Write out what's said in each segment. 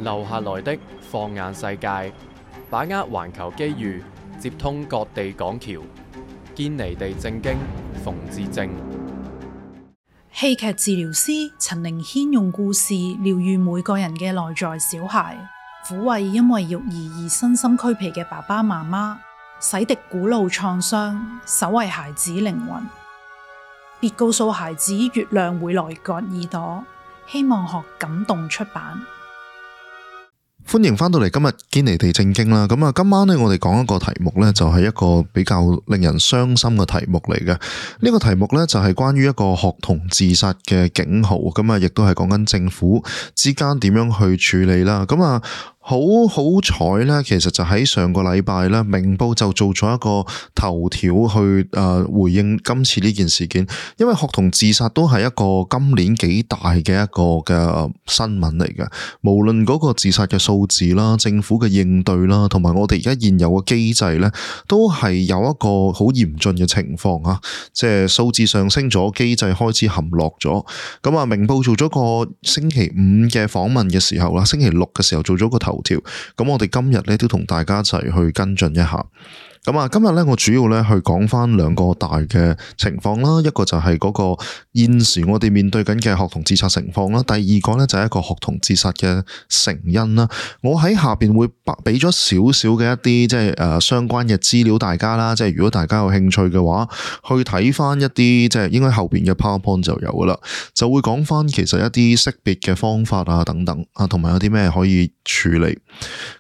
留下來的放眼世界，把握環球機遇，接通各地港橋，堅尼地正經，馮智政。戲劇治療師陳寧軒用故事療癒每個人嘅內在小孩，撫慰因為育兒而身心俱疲嘅爸爸媽媽，洗滌古老創傷，守衛孩子靈魂。別告訴孩子月亮會來割耳朵。希望學感動出版。歡迎翻到嚟今日堅尼地正經啦。咁啊，今晚呢，我哋講一個題目呢，就係一個比較令人傷心嘅題目嚟嘅。呢個題目呢，就係關於一個學童自殺嘅警號。咁啊，亦都係講緊政府之間點樣去處理啦。咁啊，好彩咧，其實就喺上個禮拜咧，明報就做咗一個頭條去回應今次呢件事件，因為學童自殺都係一個今年幾大嘅一個嘅新聞嚟嘅。無論嗰個自殺嘅數字啦、政府嘅應對啦，同埋我哋而家現有嘅機制咧，都係有一個好嚴峻嘅情況啊！即係數字上升咗，機制開始陷落咗。咁啊，明報做咗個星期五嘅訪問嘅時候啦，星期六嘅時候做咗個頭條，咁我哋今日咧都同大家一齊去跟進一下。咁啊，今日咧我主要咧去講翻兩個大嘅情況啦，一個就係嗰個現時我哋面對緊嘅學童自殺情況啦，第二個咧就係一個學童自殺嘅成因啦。我喺下邊會俾咗少少嘅一啲即係相關嘅資料大家啦，即係如果大家有興趣嘅話，去睇翻一啲即係應該後邊嘅 PowerPoint 就有噶啦，就會講翻其實一啲識別嘅方法啊等等啊，同埋有啲咩可以處理。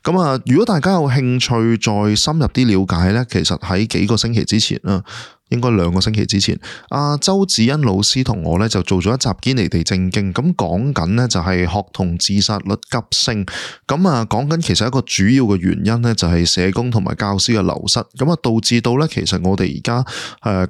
咁啊，如果大家有興趣再深入啲了解咧，其實喺幾個星期之前啦，應該2個星期之前，阿周子欣老師同我咧就做咗一集堅尼地正經，咁講緊呢就係學童自殺率急升，咁啊講緊其實一個主要嘅原因呢，就係社工同埋教師嘅流失，咁啊導致到咧其實我哋而家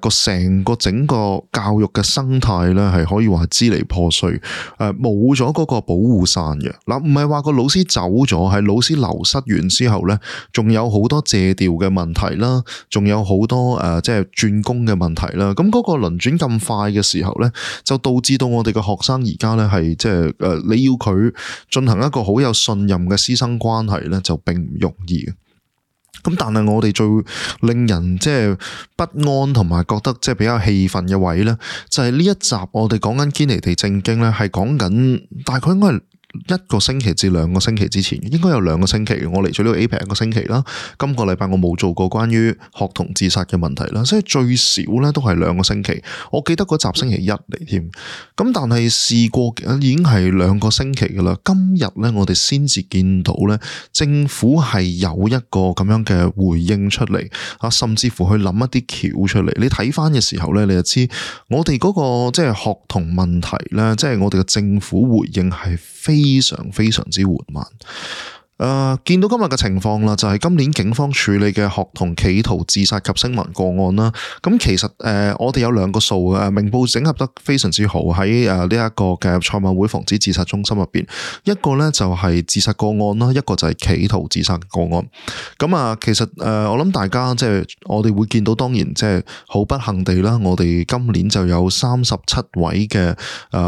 成個整個教育嘅生態咧係可以話支離破碎，冇咗嗰個保護傘嘅。嗱，唔係話個老師走咗，係老師流失完之後咧，仲有好多借調嘅問題啦，仲有好多即係轉工嘅問題啦，咁嗰個輪轉咁快嘅時候咧，就導致到我哋嘅學生而家咧係即係你要佢進行一個好有信任嘅師生關係咧，就並唔容易嘅。咁但係我哋最令人即係不安同埋覺得即係比較氣憤嘅位咧，就係呢一集我哋講緊堅尼地正經咧，係講緊大概應該係1個星期至2個星期之前，應該有2個星期，我嚟咗呢個 APEC 1個星期啦。今個禮拜我冇做過關於學童自殺嘅問題啦，所以最少咧都係2個星期。我記得嗰集星期1嚟添，咁但係事過已經係2個星期噶啦。今日咧我哋先至見到咧，政府係有一個咁樣嘅回應出嚟啊，甚至乎去諗一啲橋出嚟。你睇翻嘅時候咧，你就知我哋嗰個即係學童問題咧，即係我哋嘅政府回應係非常非常之緩慢。見到今日嘅情況啦，就係今年警方處理嘅學童企圖自殺及聲紋個案啦。咁其實我哋有2個數嘅，明報整合得非常之好喺呢一個嘅賽馬會防止自殺中心入邊。一個咧就係自殺個案啦，一個就係企圖自殺個案。咁啊，其實我諗大家即係我哋會見到，當然即係好不幸地啦，我哋今年就有37位嘅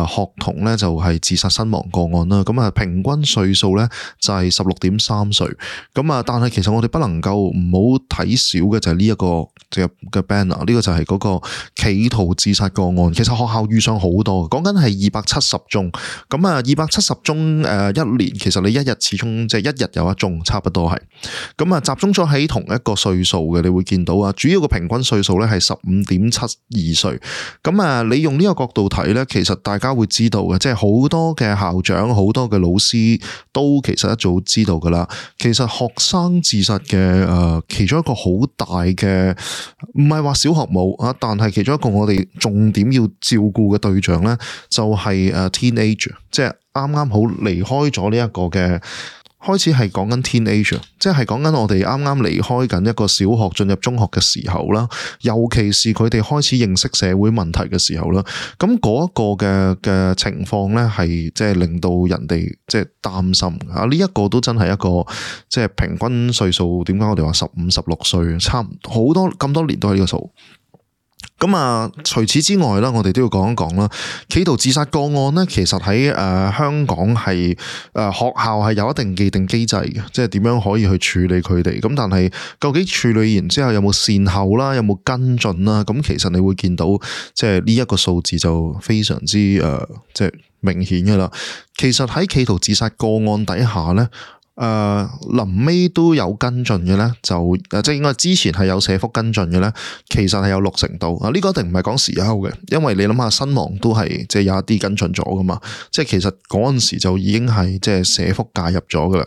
學童咧就係自殺身亡個案啦。咁啊，平均歲數咧就係16.3歲，咁啊，但係其實我哋不能夠唔好睇少嘅就係呢一個嘅 banner， 呢個就係嗰個企圖自殺個案。其實學校遇上好多，講緊係270宗，咁啊270宗一年，其實你一日始終即係一日有一宗，差不多係，咁啊集中咗喺同一個歲數嘅，你會見到啊，主要嘅平均歲數咧係15.72歲，咁啊你用呢個角度睇咧，其實大家會知道嘅，即係好多嘅校長、好多嘅老師都其實一早知道噶啦。其實學生自殺嘅其中一個好大嘅，唔係話小學冇啊，但係其中一個我哋重點要照顧嘅對象咧，就係teenager， 即係啱啱好離開咗呢一個嘅。開始係講緊 teenager， 即係講緊我哋啱啱離開緊一個小學進入中學嘅時候啦，尤其是佢哋開始認識社會問題嘅時候啦，咁嗰一個嘅情況咧係即係令到人哋即係擔心啊！呢一個都真係一個即係平均歲數，點解我哋話15、16歲，差唔多好多咁多年都係呢個數。咁啊，除此之外啦，我哋都要講一講啦。企圖自殺個案咧，其實喺香港係學校係有一定既定機制嘅，即係點樣可以去處理佢哋。咁但係究竟處理完之後有冇善後啦，有冇跟進啦？咁其實你會見到，即係呢一個數字就非常之即係明顯噶啦。其實喺企圖自殺個案底下咧。臨尾都有跟進嘅咧，就即係應該之前係有社福跟進嘅咧，其實係有60%度啊！呢個一定唔係講時候嘅，因為你諗下身亡都係即係有一啲跟進咗噶嘛，即係其實嗰陣時就已經係即係社福介入咗噶啦。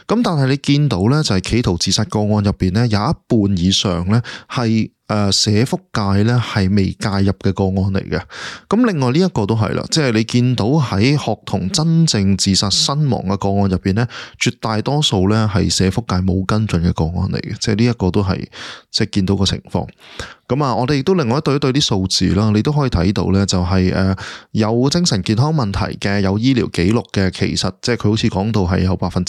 咁但係你見到咧，就係企圖自殺個案入邊咧，有一半以上咧係社福界咧係未介入嘅個案嚟嘅。咁另外呢一個都係啦，即係你見到喺學童真正自殺身亡嘅個案入邊咧，絕大多數咧係社福界冇跟進嘅個案嚟嘅，即係呢一個都係即係見到個情況。咁啊，我哋亦都另外對一對啲數字啦，你都可以睇到咧，就係有精神健康問題嘅，有醫療記錄嘅，其實即係佢好似講到係有66.2%，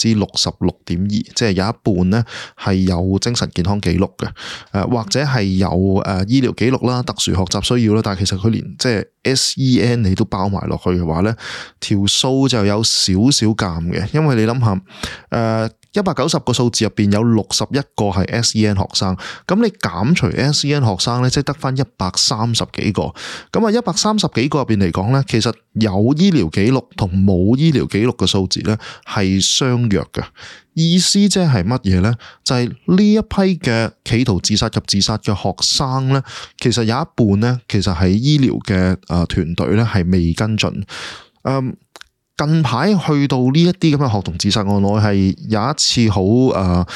即係有一半咧係有精神健康記錄嘅，或者係有醫療記錄啦、特殊學習需要啦，但係其實佢連即係 SEN 你都包埋落去嘅話咧，條數就有少少尷嘅，因為你諗下190個數字入邊有61個係 SEN 學生，咁你減除 SEN 學生咧，即係得翻130幾個。咁啊，130幾個入邊嚟講咧，其實有醫療記錄同冇醫療記錄嘅數字咧係相若嘅。意思即係乜嘢咧？就係呢一批嘅企圖自殺及自殺嘅學生咧，其實有一半咧，其實係醫療嘅團隊咧係未跟進。近排去到呢一啲咁嘅學童自殺案，我係有一次好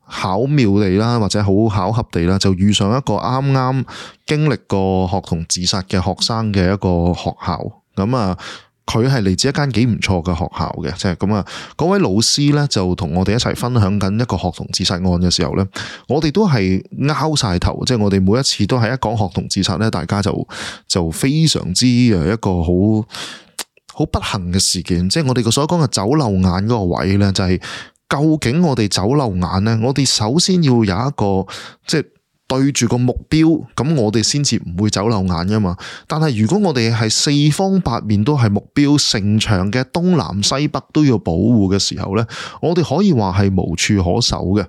巧妙地啦，或者好巧合地啦，就遇上一個啱啱經歷過學童自殺嘅學生嘅一個學校。咁啊，佢係嚟自一間幾唔錯嘅學校嘅，即係咁啊。嗰位老師咧就同我哋一齊分享緊一個學童自殺案嘅時候咧，我哋都係拗晒頭，即係我哋每一次都係一講學童自殺咧，大家就非常之一個好不幸嘅事件，即係我哋所講嘅走漏眼嗰個位咧，就係究竟我哋走漏眼咧，我哋首先要有一個即係對住個目標，咁我哋先至唔會走漏眼噶嘛。但係如果我哋係四方八面都係目標，城牆嘅東南西北都要保護嘅時候咧，我哋可以話係無處可守嘅。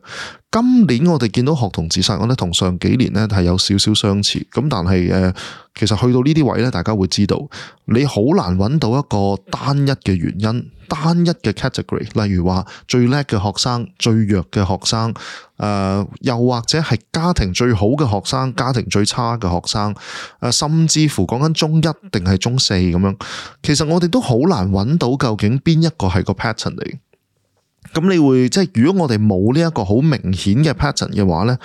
今年我哋見到學童自殺案咧，同上幾年咧係有少少相似，咁但係其實去到呢啲位咧，大家會知道你好難揾到一個單一嘅原因、單一嘅 category， 例如話最叻嘅學生、最弱嘅學生，又或者係家庭最好嘅學生、家庭最差嘅學生，甚至乎講緊中一定係中四咁樣，其實我哋都好難揾到究竟邊一個係個 pattern 嚟。咁你會即係如果我哋冇呢一個好明顯嘅 pattern 嘅話咧，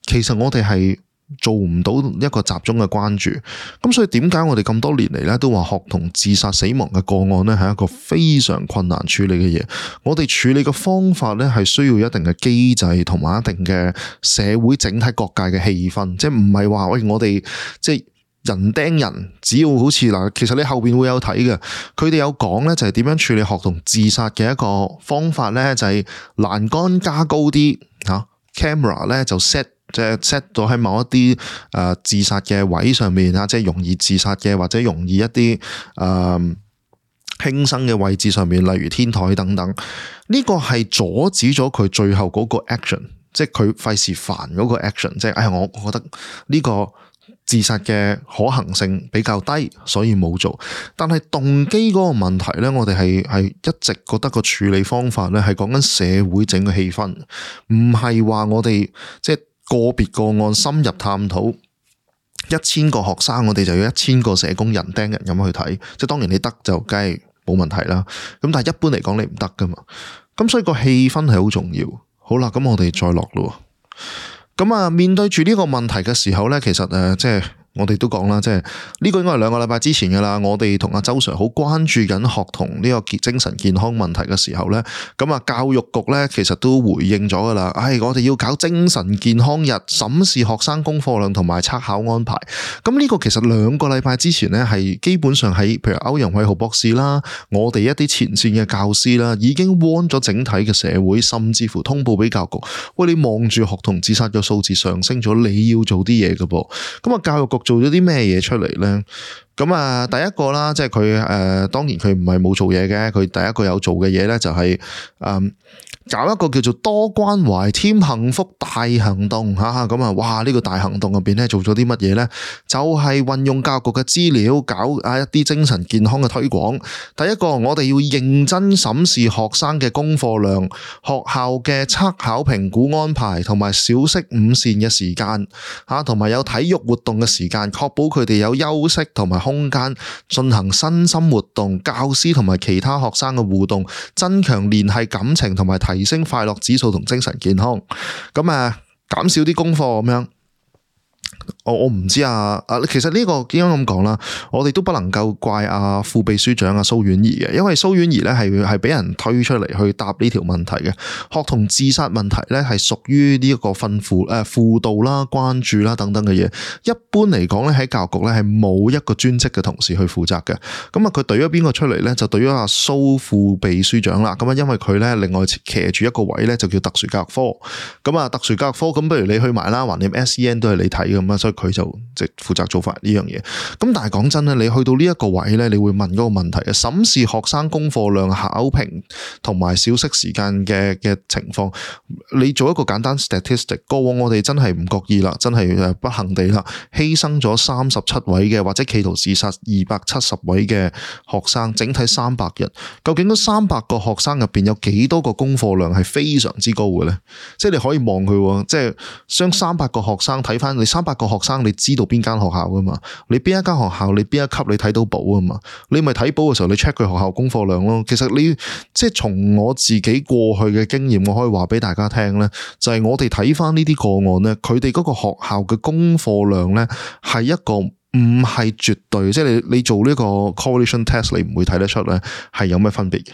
其實我哋係做唔到一個集中嘅關注。咁所以點解我哋咁多年嚟咧都話學童自殺死亡嘅個案咧係一個非常困難處理嘅嘢。我哋處理嘅方法咧係需要一定嘅機制同埋一定嘅社會整體各界嘅氣氛，即係唔係話喂我哋即係人盯人，只要好似嗱，其實你後邊會有睇嘅，佢哋有講咧就係點樣處理學童自殺嘅一個方法咧，就係欄杆加高啲吓 camera 咧就 set 咗喺某一啲自殺嘅位上面啊，即係容易自殺嘅或者容易一啲輕生嘅位置上面，例如天台等等。呢個係阻止咗佢最後嗰個 action， 即係佢費事煩嗰個 action， 即係我覺得呢個自殺嘅可行性比較低，所以冇做。但係動機嗰個問題咧，我哋係一直覺得個處理方法咧係講緊社會整個氣氛，唔係話我哋即係個別個案深入探討。1000個學生，我哋就要1000個社工人盯人咁去睇。即係當然你得就梗係冇問題啦。咁但係一般嚟講你唔得噶嘛。咁所以個氣氛係好重要。好啦，咁我哋再落咯。咁啊，面對住呢個問題嘅時候咧，其實即係我哋都講啦，即係呢個應該係2個禮拜之前噶啦。我哋同阿周 Sir 好關注緊學童呢個精神健康問題嘅時候咧，咁啊教育局咧其實都回應咗噶啦。我哋要搞精神健康日，審視學生功課量同埋測考安排。咁呢個其實2個禮拜之前咧，係基本上喺譬如歐陽偉豪博士啦，我哋一啲前線嘅教師啦，已經 warn 咗整體嘅社會，甚至乎通報俾教育局。喂，你望住學童自殺嘅數字上升咗，你要做啲嘢噶噃。咁啊，教育局做咗啲咩嘢出嚟咧？咁啊，第一個啦，即係佢當然佢唔係冇做嘢嘅，佢第一個有做嘅嘢咧就係搞一個叫做多關懷添幸福大行動嚇，咁啊，哇！呢個大行動入邊咧做咗啲乜嘢咧？就係運用教育局嘅資料，搞一啲精神健康嘅推廣。第一個，我哋要認真審視學生嘅功課量、學校嘅測考評估安排，同埋小息午膳嘅時間嚇，同埋有體育活動嘅時間，確保佢哋有休息同埋空間進行身心活動，教師同埋其他學生嘅互動，增強聯繫感情同埋提升快樂指數同精神健康。咁減少啲功課咁樣。我唔知其實呢個點樣咁講啦，我哋都不能夠怪副秘書長蘇婉儀嘅，因為蘇婉儀咧係俾人推出嚟去答呢條問題嘅。學童自殺問題咧係屬於呢一個輔導啦、關注啦等等嘅嘢。一般嚟講咧喺教育局咧係冇一個專職嘅同事去負責嘅。咁佢懟咗邊個出嚟咧？就懟咗蘇副秘書長啦。咁因為佢咧另外騎住一個位咧就叫特殊教育科。咁特殊教育科咁不如你去埋啦，橫掂 SEN 都係你睇咁。所以佢就即係負責做法呢樣嘢。咁但係講真咧，你去到呢一個位咧，你會問嗰個問題嘅，審視學生功課量、考評同埋小息時間嘅情況。你做一個簡單 statistic， 過往我哋真係唔覺意啦，真係不幸地啦，犧牲咗37位嘅或者企圖自殺270位嘅學生，整體300人。究竟嗰300個學生入邊有幾多個功課量係非常之高嘅咧？即係你可以望佢，即係將300個學生睇翻，你300個學生，你知道邊間學校噶嘛？你邊一間學校，你邊一級你睇到簿啊嘛？你咪睇簿嘅時候，你 check 佢學校功課量咯。其實你即係從我自己過去嘅經驗，我可以話俾大家聽咧，就係我哋睇翻呢啲個案咧，佢哋嗰個學校嘅功課量咧係一個唔係絕對，即係你做呢個 correlation test， 你唔會睇得出咧係有咩分別嘅。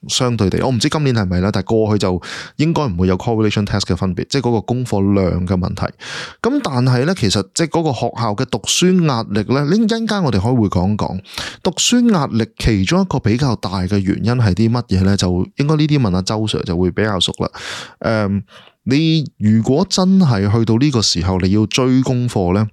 相對地，我唔知今年係咪啦，但係過去就應該唔會有 correlation test 嘅分別，即係嗰個功課量嘅問題。咁但係咧，其實即係嗰個學校嘅讀書壓力咧，呢一陣間我哋可以會講讀書壓力其中一個比較大嘅原因係啲乜嘢咧？就應該呢啲問阿周 Sir 就會比較熟啦。你如果真係去到呢個時候，你要追功課咧？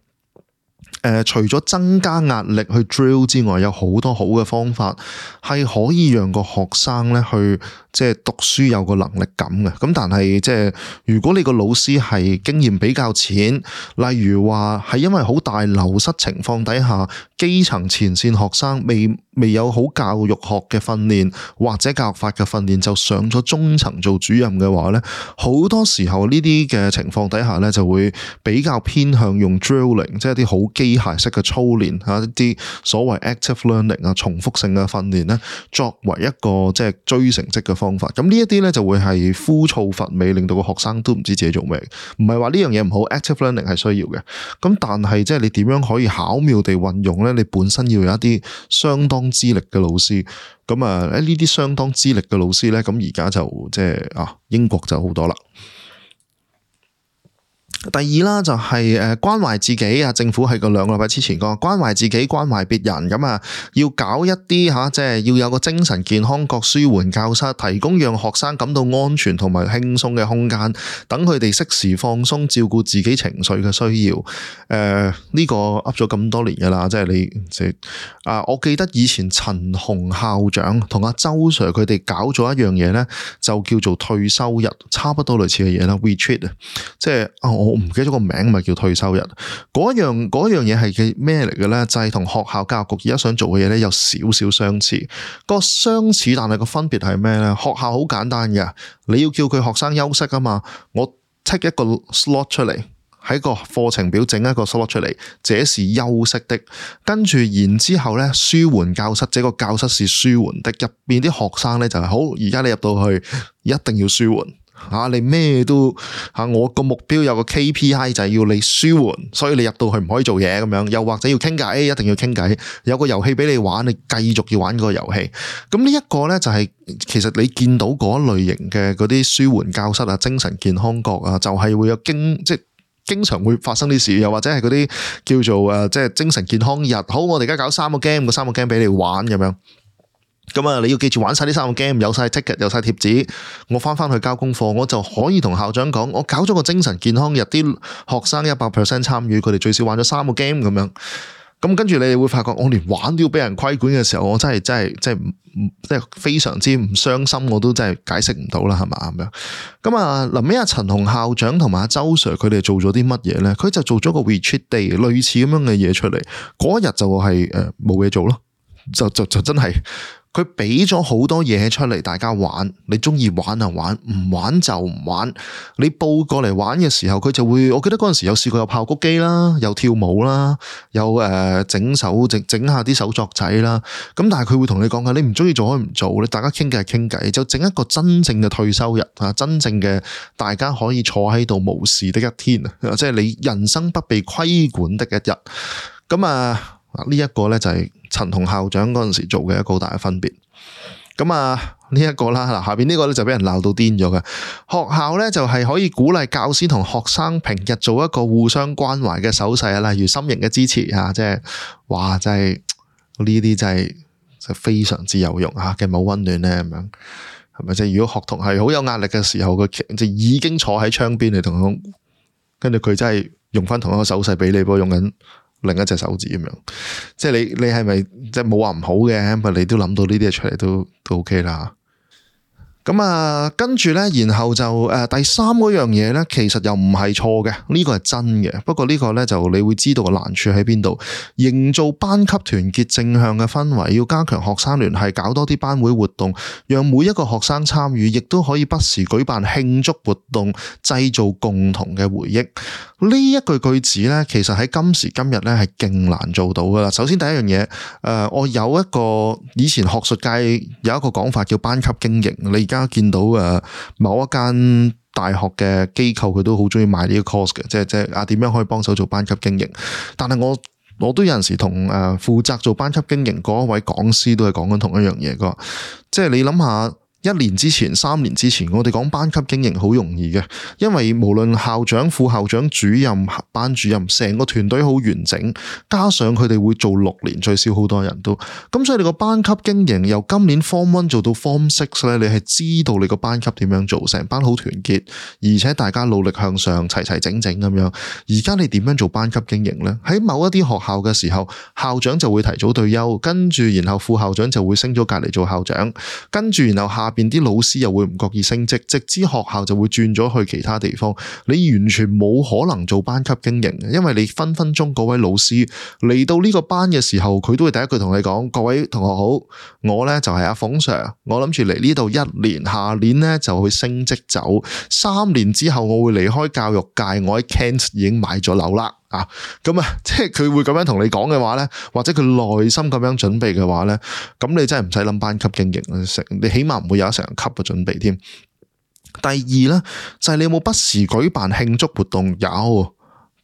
除咗增加壓力去 drill 之外，有好多好嘅方法係可以讓個學生咧去即係讀書有個能力感嘅。咁但係即係如果你個老師係經驗比較淺，例如話係因為好大流失情況底下，基層前線學生未有好教育學嘅訓練或者教育法嘅訓練，就上咗中層做主任嘅話咧，好多時候呢啲嘅情況底下咧就會比較偏向用 drilling， 即係一啲好機械式嘅操練一啲所謂 active learning 重複性嘅訓練咧，作為一個即係追成績嘅方法。咁呢一啲咧就會係枯燥乏味，令到個學生都唔知自己做咩。唔係話呢樣嘢唔好 ，active learning 係需要嘅。咁但係即係你點樣可以巧妙地運用咧？你本身要有一啲相當資歷嘅老師。咁呢啲相當資歷嘅老師咧，咁而家就即係英國就好多啦。第二啦，就係關懷自己。政府喺個2個禮拜之前講關懷自己、關懷別人，咁要搞一啲即係要有個精神健康各舒緩教室，提供讓學生感到安全同埋輕鬆嘅空間，等佢哋適時放鬆，照顧自己情緒嘅需要。呢個噏咗咁多年噶啦，即係我記得以前陳洪校長同阿周 Sir 佢哋搞咗一樣嘢咧，就叫做退休日，差不多類似嘅嘢啦 retreat 即係我唔記得咗個名，咪叫退休日。嗰樣嘢係嘅咩嚟嘅咧？就係同學校教育局而家想做嘅嘢咧有少少相似。個相似但係個分別係咩咧？學校好簡單嘅，你要叫佢學生休息啊嘛，我 take 一個 slot 出嚟，喺個課程表整一個 slot 出嚟，這是休息的。跟住然之後咧，舒緩教室，這個教室是舒緩的。入邊啲學生咧就係好，而家你入到去一定要舒緩。你咩都我個目標有個 KPI 就係要你舒緩，所以你入到去唔可以做嘢咁樣，又或者要傾偈，一定要傾偈，有個遊戲俾你玩，你繼續要玩嗰個遊戲。咁呢一個咧就係其實你見到嗰類型嘅嗰啲舒緩教室精神健康角就係會有即係經常會發生啲事，又或者係嗰啲叫做即係精神健康日。好，我哋而家搞3個 game，個3個 game 俾你玩咁樣。咁啊，你要記住玩晒呢3個 game，有晒 ticket，有晒貼紙，我翻去交功課，我就可以同校長講，我搞咗個精神健康日，啲學生100% 參與，佢哋最少玩咗3個 game 咁樣。咁跟住你哋會發覺，我連玩都要俾人規管嘅時候，我真係非常之唔傷心，我都真係解釋唔到啦，係嘛咁樣。咁啊，臨尾阿陳同校長同埋阿周 Sir 佢哋做咗啲乜嘢咧？佢就做咗個 retreat day 類似咁樣嘅嘢出嚟。嗰一日就係冇嘢做咯，就真係。佢俾咗好多嘢出嚟，大家玩。你中意玩就玩，唔玩就唔玩。你報過嚟玩嘅時候，佢就會，我記得嗰陣時有試過有爆谷機啦，有跳舞啦，有整下啲手作仔啦。咁但係佢會同你講嘅，你唔中意做可以唔做，你大家傾偈係傾偈，就整一個真正嘅退休日啊，真正嘅大家可以坐喺度無事的一天啊，即係你人生不被規管的一日。咁啊。呢一個咧就係陳同校長嗰陣時做嘅一個好大嘅分別。咁啊呢一個啦，嗱下邊呢個咧就俾人鬧到癲咗嘅。學校咧就係可以鼓勵教師同學生平日做一個互相關懷嘅手勢啊，例如心形嘅支持啊，即係哇真係呢啲真係非常之有用啊，嘅冇溫暖咧咁樣，係咪？即係如果學童係好有壓力嘅時候，佢就已經坐喺窗邊嚟同佢，跟住佢真係用翻同一個手勢俾你，不過用緊另一隻手指咁樣，即係你係咪即係冇話唔好嘅？不過你都諗到呢啲嘢出嚟都 OK 啦。咁啊，跟住咧，然後就第三嗰樣嘢咧，其實又唔係錯嘅，呢個係真嘅。不過呢個咧就你會知道個難處喺邊度，營造班級團結正向嘅氛圍，要加強學生聯繫，搞多啲班會活動，讓每一個學生參與，亦都可以不時舉辦慶祝活動，製造共同嘅回憶。呢一句子咧，其實喺今時今日咧係勁難做到噶啦。首先第一樣嘢，我有一個以前學術界有一個講法叫班級經營，你而家見到某一間大學嘅機構佢都好中意賣呢個 course 嘅，即係點樣可以幫手做班級經營。但係我都有陣時同負責做班級經營嗰一位講師都係講緊同一樣嘢噶，即係你諗下。1年之前、3年之前，我哋講班級經營好容易嘅，因為無論校長、副校長、主任、班主任，成個團隊好完整，加上佢哋會做6年，最少好多人都，咁所以你個班級經營由今年 Form 1做到 Form 6咧，你係知道你個班級點樣做，成班好團結，而且大家努力向上，齊齊整整咁樣。而家你點樣做班級經營呢？喺某一啲學校嘅時候，校長就會提早退休，跟住然後副校長就會升咗隔離做校長，跟住然後下邊啲老師又會唔覺意升職，直至學校就會轉咗去其他地方。你完全冇可能做班級經營嘅，因為你分分鐘嗰位老師嚟到呢個班嘅時候，佢都會第一句同你講：各位同學好，我呢就係阿馮 Sir，我諗住嚟呢度1年，下年呢就去升職走，3年之後我會離開教育界，我喺 Kent 已經買咗樓啦。咁即係佢會咁樣同你講嘅話呢，或者佢內心咁樣準備嘅話呢，咁你真係唔使諗班級經營，你起碼唔會有成級嘅準備添。第二呢，就係你有冇不時舉辦慶祝活動？有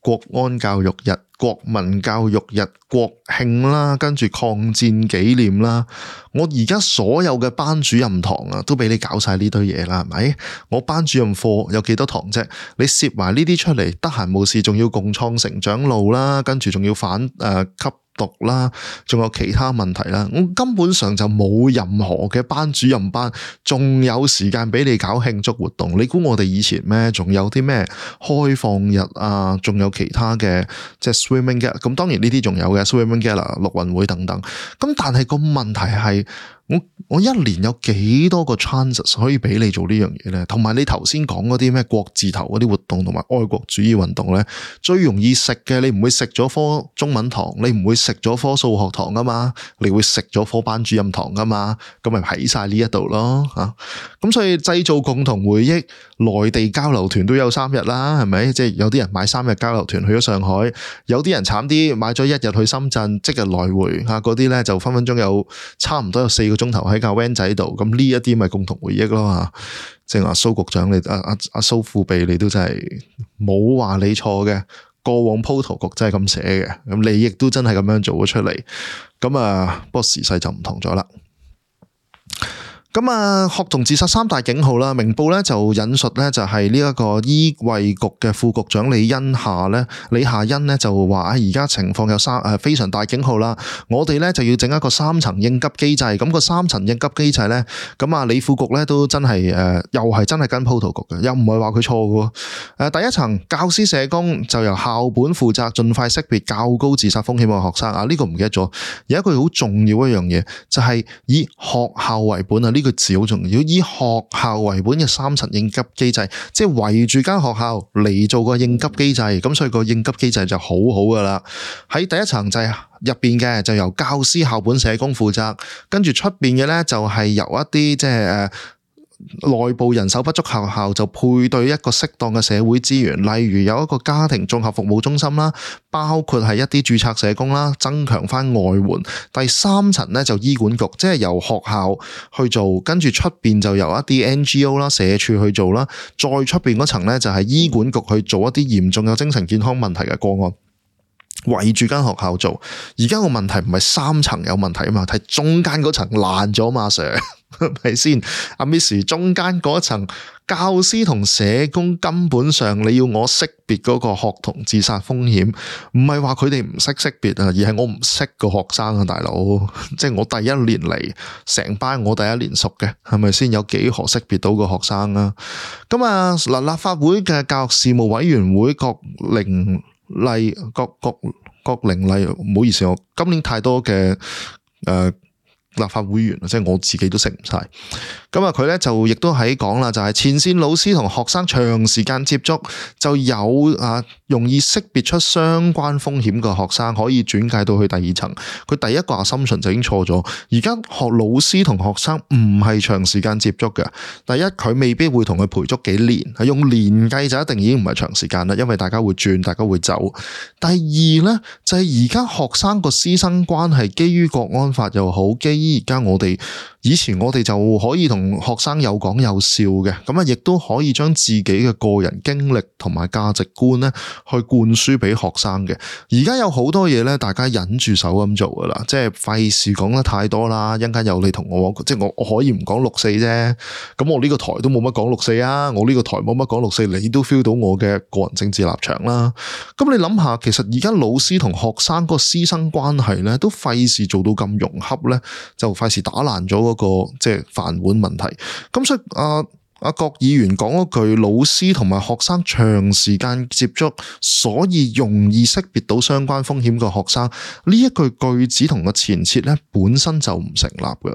國安教育日、國民教育日、國慶啦，跟住抗戰紀念啦。我而家所有嘅班主任堂啊，都俾你搞晒呢堆嘢啦，係咪？我班主任課有幾多堂啫？你攝埋呢啲出嚟，得閒冇事仲要共創成長路啦，跟住仲要反吸毒啦，仲有其他問題啦，我根本上就冇任何嘅班主任班，仲有時間俾你搞慶祝活動。你估我哋以前咩？仲有啲咩開放日啊？仲有其他嘅即係 swimming gala，咁當然呢啲仲有嘅 swimming gala、陸運會等等。咁但係個問題係，我1年有幾多個 chances 可以俾你做呢樣嘢呢？同埋你頭先講嗰啲咩國字頭嗰啲活動同埋愛國主義運動呢，最容易食嘅，你唔會食咗科中文堂，你唔會食咗科數學堂噶嘛，你會食咗科班主任堂噶嘛，咁咪喺晒呢一度咯吓。咁所以製造共同回憶，內地交流團都有3日啦，係咪？即係有啲人買3日交流團去咗上海，有啲人慘啲買咗1日去深圳，即日來回吓，嗰啲呢就分分鐘有差唔多有4個鐘頭喺架 van 仔度，咁呢一啲咪共同回憶咯吓。正話蘇局長你阿蘇副秘你都真係冇話你錯嘅，過往鋪圖局真係咁寫嘅，咁你亦都真係咁樣做咗出嚟，咁不過時勢就唔同咗啦。咁啊，學童自殺三大警號啦，明報咧就引述咧就係呢一個醫衛局嘅副局長李夏茵咧就話而家情況有非常大警號啦，我哋咧就要整一個3層應急機制，咁個3層應急機制咧，咁啊李副局咧都真係又係真係跟 protocol 嘅，又唔係話佢錯嘅。第一層教師社工就由校本負責，盡快識別較高自殺風險嘅學生啊，呢個唔記得咗，有一句好重要一樣嘢就係以學校為本啊，呢個字好重要，以學校為本嘅3層應急機制，即係圍住間學校嚟做個應急機制，咁所以個應急機制就好好噶啦。喺第一層就係入邊嘅就由教師校本社工負責，跟住出邊嘅咧就係由一啲即係內部人手不足學校就配對一個適當嘅社會資源，例如有一個家庭綜合服務中心啦，包括係一啲註冊社工啦，增強翻外援。第3層咧就醫管局，即係由學校去做，跟住出邊就由一啲 NGO 啦、社署去做啦，再出邊嗰層咧就係醫管局去做一啲嚴重有精神健康問題嘅個案。圍住間學校做，而家個問題唔係3層有問題啊嘛，係中間嗰層爛咗嘛，Sir 係咪先？阿 Miss 中間嗰層教師同社工根本上你要我識別嗰個學童自殺風險，唔係話佢哋唔識識別啊，而係我唔識個學生啊，大佬，即係我第一年嚟，成班我第一年熟嘅，係咪先？有幾何識別到個學生啊？咁啊嗱，立法會嘅教育事務委員會郭玲麗，唔好意思，我今年太多嘅立法會員，即係我自己都識唔晒。咁啊，佢咧就亦都喺講啦，就係前線老師同學生長時間接觸，就有容易識別出相關風險嘅學生，可以轉介到去第2層。佢第一個assumption就已經錯咗。而家學老師同學生唔係長時間接觸嘅。第一，佢未必會同佢陪足幾年，係用年計就一定已經唔係長時間啦，因為大家會轉，大家會走。第二咧就係而家學生個師生關係，基於國安法又好，基於而家以前我哋就可以同學生有講有笑嘅，咁啊亦都可以將自己嘅個人經歷同埋價值觀咧去灌輸俾學生嘅。而家有好多嘢咧，大家忍住手咁做噶啦，即係費事講得太多啦。一陣間有你同我，即係我可以唔講6·4啫。咁我呢個台都冇乜講6·4啊，我呢個台冇乜講6·4，你都 feel 到我嘅個人政治立場啦。咁你諗下，其實而家老師同學生個師生關係咧，都費事做到咁融洽咧，就費事打爛咗個即係飯碗問題。咁所以郭議員講嗰句老師同埋學生長時間接觸，所以容易識別到相關風險嘅學生，呢一句子同個前設咧本身就唔成立㗎。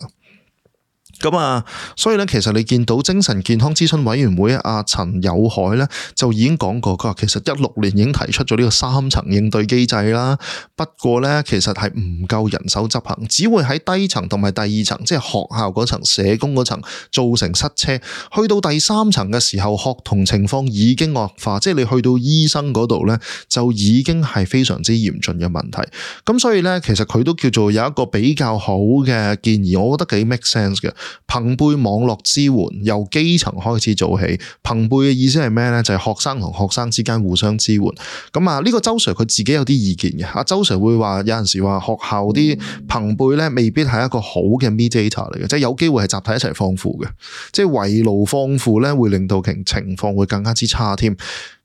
咁所以咧，其實你見到精神健康諮詢委員會陳友凱咧就已經講過，佢話其實16年已經提出咗呢個3層應對機制啦。不過咧，其實係唔夠人手執行，只會喺低層同埋第2層，即係學校嗰層、社工嗰層造成塞車。去到第3層嘅時候，學童情況已經惡化，即係你去到醫生嗰度咧，就已經係非常之嚴峻嘅問題。咁所以咧，其實佢都叫做有一個比較好嘅建議，我覺得幾 make sense 嘅。朋輩網絡支援由基層開始做起，朋輩嘅意思係咩呢？就係學生同學生之間互相支援。咁呢個周 Sir 佢自己有啲意見嘅。阿周 Sir 會話有陣時話學校啲朋輩呢未必係一個好嘅 mediator 嚟嘅，即係有機會係集體一齊放負嘅，即係圍爐放負呢會令到情況會更加之差添。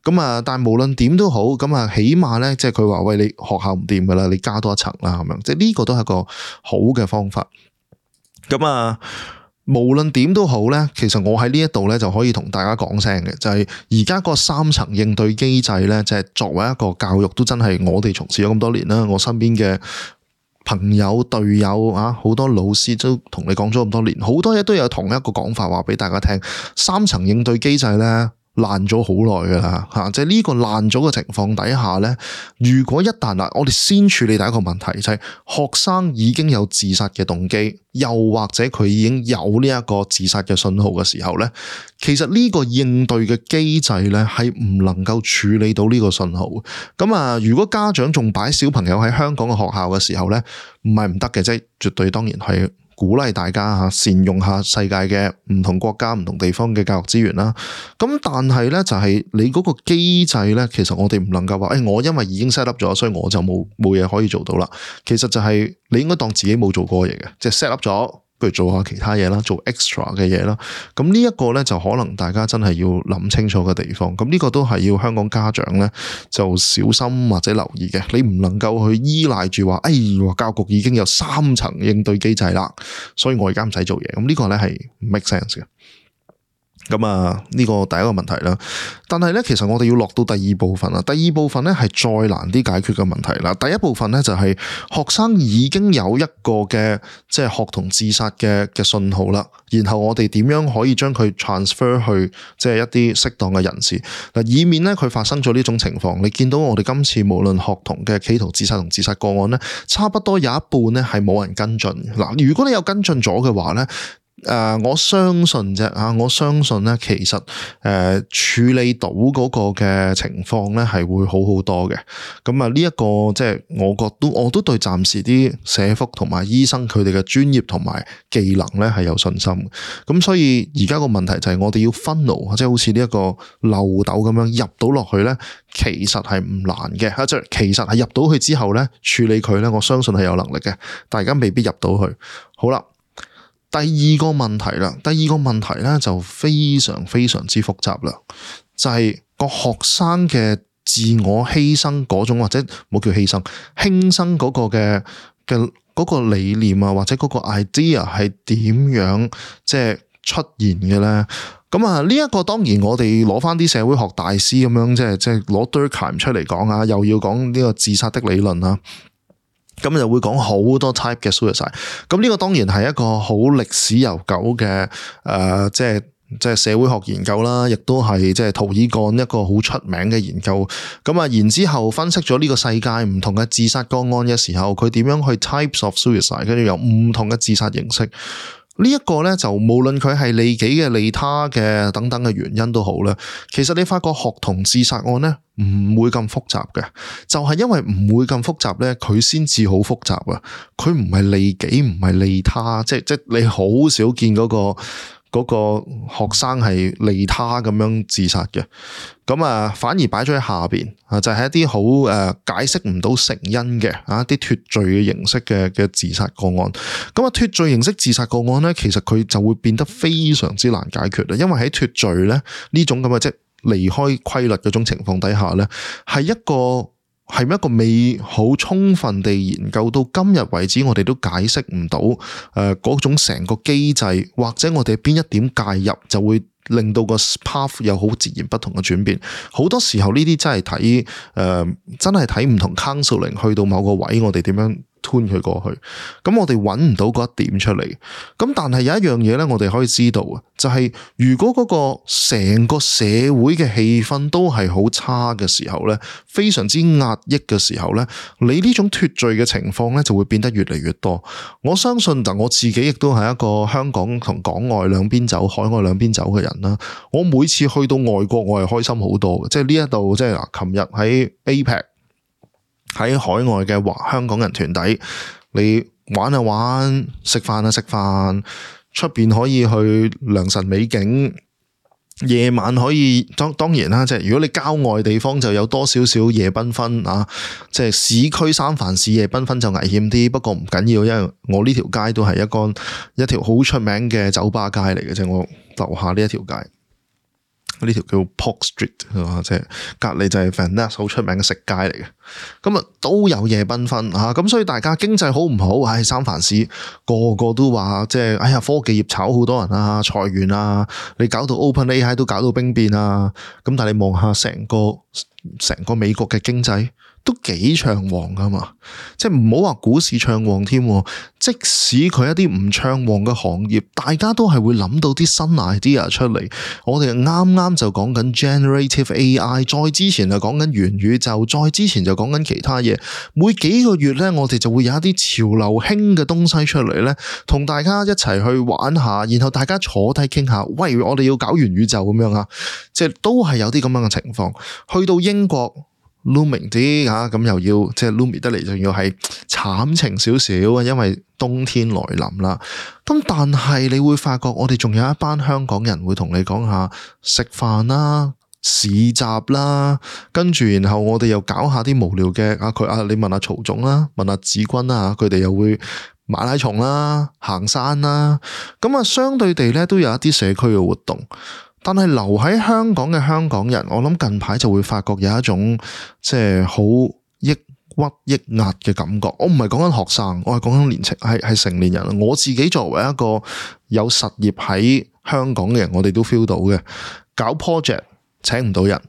咁但係無論點都好，咁起碼呢，即係佢話喂，你學校唔掂噶啦，你加多一層啦咁樣，即係呢個都係一個好嘅方法。咁無論點都好咧，其實我喺呢一度咧就可以同大家講聲嘅，就係而家個3層應對機制咧，就係作為一個教育都真係我哋從事咗咁多年啦，我身邊嘅朋友隊友好多老師都同你講咗咁多年，好多嘢都有同一個講法話俾大家聽，3層應對機制咧爛咗好耐噶啦吓，即係呢個爛咗嘅情況底下咧，如果一旦我哋先處理第一個問題，就係學生已經有自殺嘅動機，又或者佢已經有呢一個自殺嘅信號嘅時候咧，其實呢個應對嘅機制咧係唔能夠處理到呢個信號。咁如果家長仲擺小朋友喺香港嘅學校嘅時候咧，唔係唔得嘅，即係絕對當然係鼓勵大家善用下世界嘅唔同國家唔同地方嘅教育資源啦。咁但係咧就係你嗰個機制咧，其實我哋唔能夠話我因為已經 set up 咗，所以我就冇嘢可以做到啦。其實就係你應該當自己冇做過嘢嘅，即係 set up 咗不如做下其他嘢啦，做 extra 嘅嘢啦。咁呢一個咧就可能大家真係要諗清楚嘅地方。咁呢個都係要香港家長咧就小心或者留意嘅。你唔能夠去依賴住話，教育局已經有3層應對機制啦，所以我而家唔使做嘢。咁呢個咧係唔 make sense 嘅。咁啊，呢個第一個問題啦。但係咧，其實我哋要落到第二部分啦。第二部分咧係再難啲解決嘅問題啦。第一部分咧就係學生已經有一個嘅即係學童自殺嘅信號啦。然後我哋點樣可以將佢 transfer 去即係一啲適當嘅人士嗱，以免咧佢發生咗呢種情況。你見到我哋今次無論學童嘅企圖自殺同自殺個案咧，差不多有一半咧係冇人跟進嗱。如果你有跟進咗嘅話咧，我相信啫我相信咧，其實處理到嗰個嘅情況咧係會好好多嘅。咁啊，呢一個即係我都對暫時啲社福同埋醫生佢哋嘅專業同埋技能咧係有信心。咁所以而家個問題就係我哋要 funnel，即係好似呢一個漏斗咁樣入到落去咧，其實係唔難嘅。即係其實係入到去之後咧，處理佢咧，我相信係有能力嘅，但係而家未必入到去。好啦。第二個問題咧就非常非常之複雜啦，就係個學生嘅自我犧牲嗰種，或者冇叫犧牲，輕生嗰個嘅嗰個理念啊，或者嗰個 idea 係點樣即係出現嘅咧？咁啊，呢一個當然我哋攞翻啲社會學大師咁樣，即係攞 Durkheim 出嚟講啊，又要講呢個自殺的理論啊。咁就會講好多 type 嘅 suicide。咁呢個當然係一個好歷史悠久嘅即係社會學研究啦，亦都係即係涂爾幹一個好出名嘅研究。咁啊，然之後分析咗呢個世界唔同嘅自殺個案嘅時候，佢點樣去 types of suicide， 跟住有唔同嘅自殺形式。呢一個咧就無論佢係利己嘅、利他嘅等等嘅原因都好啦。其實你發覺學童自殺案咧唔會咁複雜嘅，就係因為唔會咁複雜咧，佢先至好複雜啊！佢唔係利己，唔係利他，即你好少見嗰個學生係利他咁樣自殺嘅。咁啊，反而擺咗喺下邊啊，就係一啲好解釋唔到成因嘅一啲脫罪嘅形式嘅自殺個案。咁啊，脫罪形式自殺個案咧，其實佢就會變得非常之難解決啦。因為喺脫罪咧呢種咁嘅即係離開規律嗰種情況底下咧，係一個未好充分地研究到今日為止，我哋都解釋唔到嗰種成個機制，或者我哋邊一點介入就會令到個 path 有好自然不同嘅轉變。好多時候呢啲真係睇唔同 counseling 去到某個位，我哋點樣吞佢過去，咁我哋揾唔到嗰一點出嚟。咁但係有一樣嘢咧，我哋可以知道啊，就係如果嗰個成個社會嘅氣氛都係好差嘅時候咧，非常之壓抑嘅時候咧，你呢種脫罪嘅情況咧就會變得越嚟越多。我相信我自己亦都係一個香港同港外兩邊走、海外兩邊走嘅人啦。我每次去到外國，我係開心好多嘅，即係呢一度，即係嗱，琴日喺 APEC。喺海外嘅香港人團體，你玩啊玩，食飯啊食飯，出邊可以去良辰美景，夜晚可以當然啦，即係如果你郊外地方就有多少少夜繽紛啊，即係市區三藩市夜繽紛就危險啲，不過唔緊要，因為我呢條街都係一條好出名嘅酒吧街嚟嘅，即係我樓下呢一條街。呢條叫 Polk Street 即係隔籬就係 Venice 好出名嘅食街嚟嘅，咁啊都有夜繽紛咁所以大家經濟好唔好？三藩市個個都話即係科技業炒好多人啊，裁員啊，你搞到 OpenAI 都搞到兵變啊，咁但係你望下成個美國嘅經濟都幾暢旺噶嘛，即係唔好話股市暢旺添，即使佢一啲唔暢旺嘅行業，大家都係會諗到啲新 idea 出嚟。我哋啱啱就講緊 generative AI， 再之前就講緊元宇宙，再之前就講緊其他嘢。每幾個月咧，我哋就會有一啲潮流興嘅東西出嚟咧，同大家一齊去玩下，然後大家坐低傾下，喂，我哋要搞元宇宙咁樣啊，即係都係有啲咁樣嘅情況。去到英國。looming 啲咁又要即係 looming 得嚟，仲要係慘情少少啊，因為冬天來臨啦。咁但係你會發覺，我哋仲有一班香港人會同你講下食飯啦、市集啦，跟住然後我哋又搞下啲無聊嘅你問下曹總啦，問下子君啦，佢哋又會馬拉松啦、行山啦，咁啊相對地咧都有一啲社區嘅活動。但係留喺香港嘅香港人，我諗近排就會發覺有一種即係好抑鬱抑壓嘅感覺。我唔係講緊學生，我係講緊年青係成年人。我自己作為一個有實業喺香港嘅人，我哋都 feel 到嘅。搞 project 請唔到人，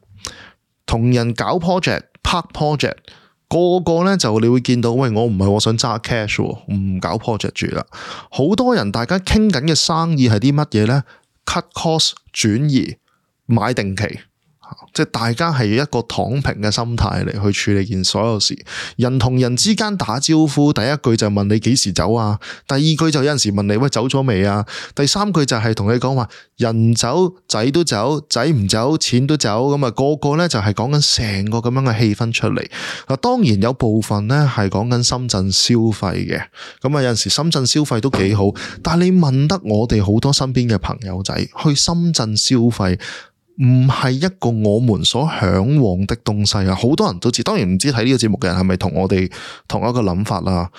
同人搞 project 拍 project， 個個咧就你會見到，喂，我唔係我想揸 cash， 唔搞 project 住啦。好多人大家傾緊嘅生意係啲乜嘢咧？ cut cost 轉移買定期，即係大家係一個躺平嘅心態嚟去處理件所有事。人同人之間打招呼，第一句就問你幾時走啊，第二句就有陣時問你喂走咗未啊，第三句就係同你講話人走仔都走，仔唔走錢都走，咁啊個個咧就係講緊成個咁樣嘅氣氛出嚟。嗱，當然有部分咧係講緊深圳消費嘅，咁啊有陣時深圳消費都幾好，但係你問得我哋好多身邊嘅朋友仔去深圳消費，唔係一個我們所向往的東西啊！好多人都知，當然唔知睇呢個節目嘅人係咪同我哋同一個諗法啦。